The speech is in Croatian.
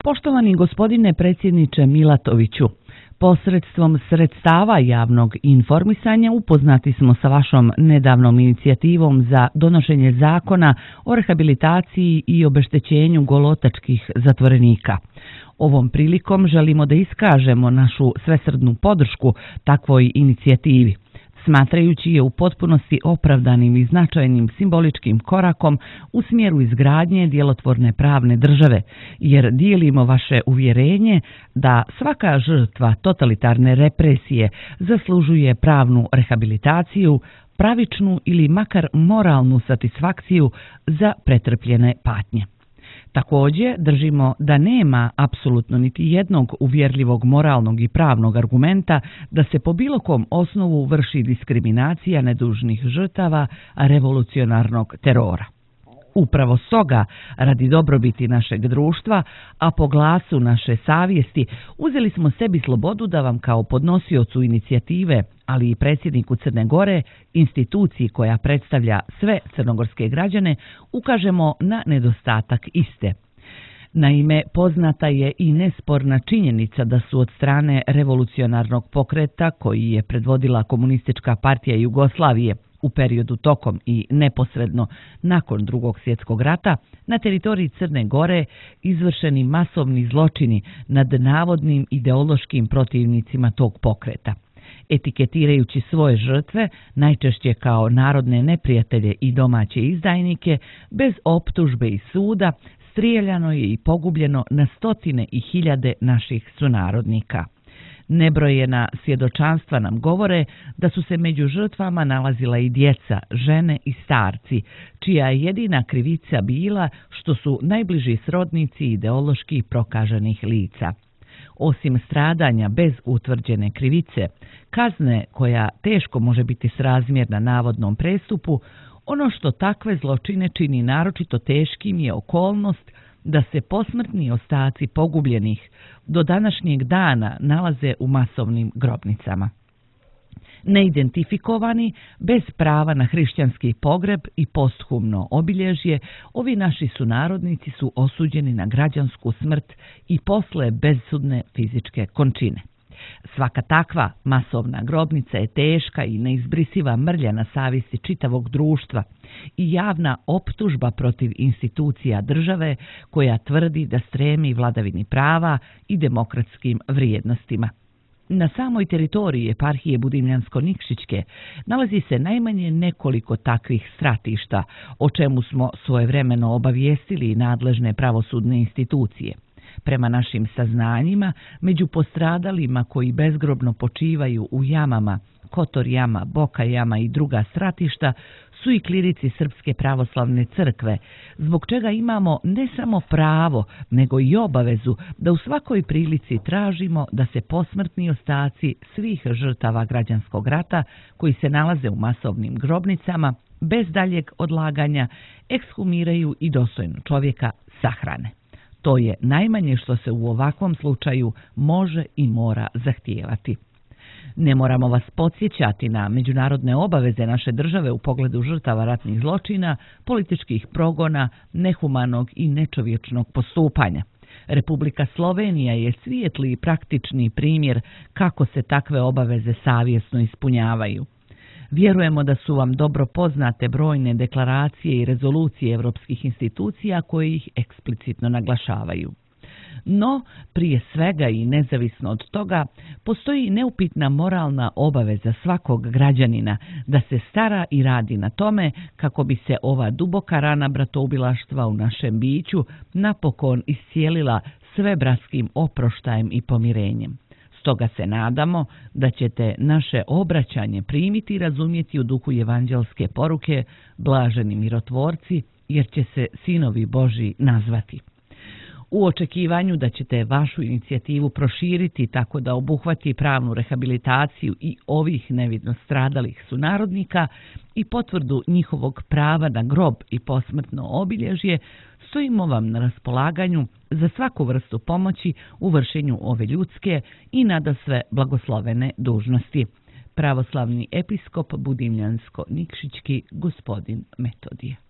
Poštovani gospodine predsjedniče Milatoviću, posredstvom sredstava javnog informisanja upoznati smo sa vašom nedavnom inicijativom za donošenje zakona o rehabilitaciji i obeštećenju golotačkih zatvorenika. Ovom prilikom želimo da iskažemo našu svesrdnu podršku takvoj inicijativi, smatrajući je u potpunosti opravdanim i značajnim simboličkim korakom u smjeru izgradnje djelotvorne pravne države, jer dijelimo vaše uvjerenje da svaka žrtva totalitarne represije zaslužuje pravnu rehabilitaciju, pravičnu ili makar moralnu satisfakciju za pretrpljene patnje. Također držimo da nema apsolutno niti jednog uvjerljivog moralnog i pravnog argumenta da se po bilo kom osnovu vrši diskriminacija nedužnih žrtava revolucionarnog terora. Upravo stoga, radi dobrobiti našeg društva, a po glasu naše savjesti, uzeli smo sebi slobodu da vam kao podnosiocu inicijative, ali i predsjedniku Crne Gore, instituciji koja predstavlja sve crnogorske građane, ukažemo na nedostatak iste. Naime, poznata je i nesporna činjenica da su od strane revolucionarnog pokreta koji je predvodila Komunistička partija Jugoslavije u periodu tokom i neposredno nakon Drugog svjetskog rata na teritoriji Crne Gore izvršeni masovni zločini nad navodnim ideološkim protivnicima tog pokreta. Etiketirajući svoje žrtve, najčešće kao narodne neprijatelje i domaće izdajnike, bez optužbe i suda, strijeljano je i pogubljeno na stotine i hiljade naših sunarodnika. Nebrojena svjedočanstva nam govore da su se među žrtvama nalazila i djeca, žene i starci, čija je jedina krivica bila što su najbliži srodnici ideološki prokaženih lica. Osim stradanja bez utvrđene krivice, kazne koja teško može biti srazmjerna navodnom prestupu, ono što takve zločine čini naročito teškim je okolnost da se posmrtni ostaci pogubljenih do današnjeg dana nalaze u masovnim grobnicama. Neidentifikovani, bez prava na hrišćanski pogreb i posthumno obilježje, ovi naši sunarodnici su osuđeni na građansku smrt i posle bezsudne fizičke končine. Svaka takva masovna grobnica je teška i neizbrisiva mrlja na savjesti čitavog društva i javna optužba protiv institucija države koja tvrdi da stremi vladavini prava i demokratskim vrijednostima. Na samoj teritoriji eparhije Budimljansko-Nikšićke nalazi se najmanje nekoliko takvih stratišta, o čemu smo svojevremeno obavijestili nadležne pravosudne institucije. Prema našim saznanjima, među postradalima koji bezgrobno počivaju u jamama, Kotor jama, Boka jama i druga stratišta su i klirici Srpske pravoslavne crkve, zbog čega imamo ne samo pravo, nego i obavezu da u svakoj prilici tražimo da se posmrtni ostaci svih žrtava građanskog rata koji se nalaze u masovnim grobnicama, bez daljeg odlaganja, ekshumiraju i dostojno čovjeka sahrane. To je najmanje što se u ovakvom slučaju može i mora zahtijevati. Ne moramo vas podsjećati na međunarodne obaveze naše države u pogledu žrtava ratnih zločina, političkih progona, nehumanog i nečovječnog postupanja. Republika Slovenija je svijetli i praktični primjer kako se takve obaveze savjesno ispunjavaju. Vjerujemo da su vam dobro poznate brojne deklaracije i rezolucije europskih institucija koje ih eksplicitno naglašavaju. No, prije svega i nezavisno od toga, postoji neupitna moralna obaveza svakog građanina da se stara i radi na tome kako bi se ova duboka rana bratoubilaštva u našem biću napokon iscijelila svebratskim oproštajem i pomirenjem. Stoga se nadamo da ćete naše obraćanje primiti i razumjeti u duhu evanđelske poruke blaženi mirotvorci, jer će se sinovi Božji nazvati. U očekivanju da ćete vašu inicijativu proširiti tako da obuhvati pravnu rehabilitaciju i ovih nevidno stradalih sunarodnika i potvrdu njihovog prava na grob i posmrtno obilježje, stojimo vam na raspolaganju za svaku vrstu pomoći u vršenju ove ljudske i nadasve blagoslovene dužnosti. Pravoslavni episkop Budimljansko-Nikšićki gospodin Metodije.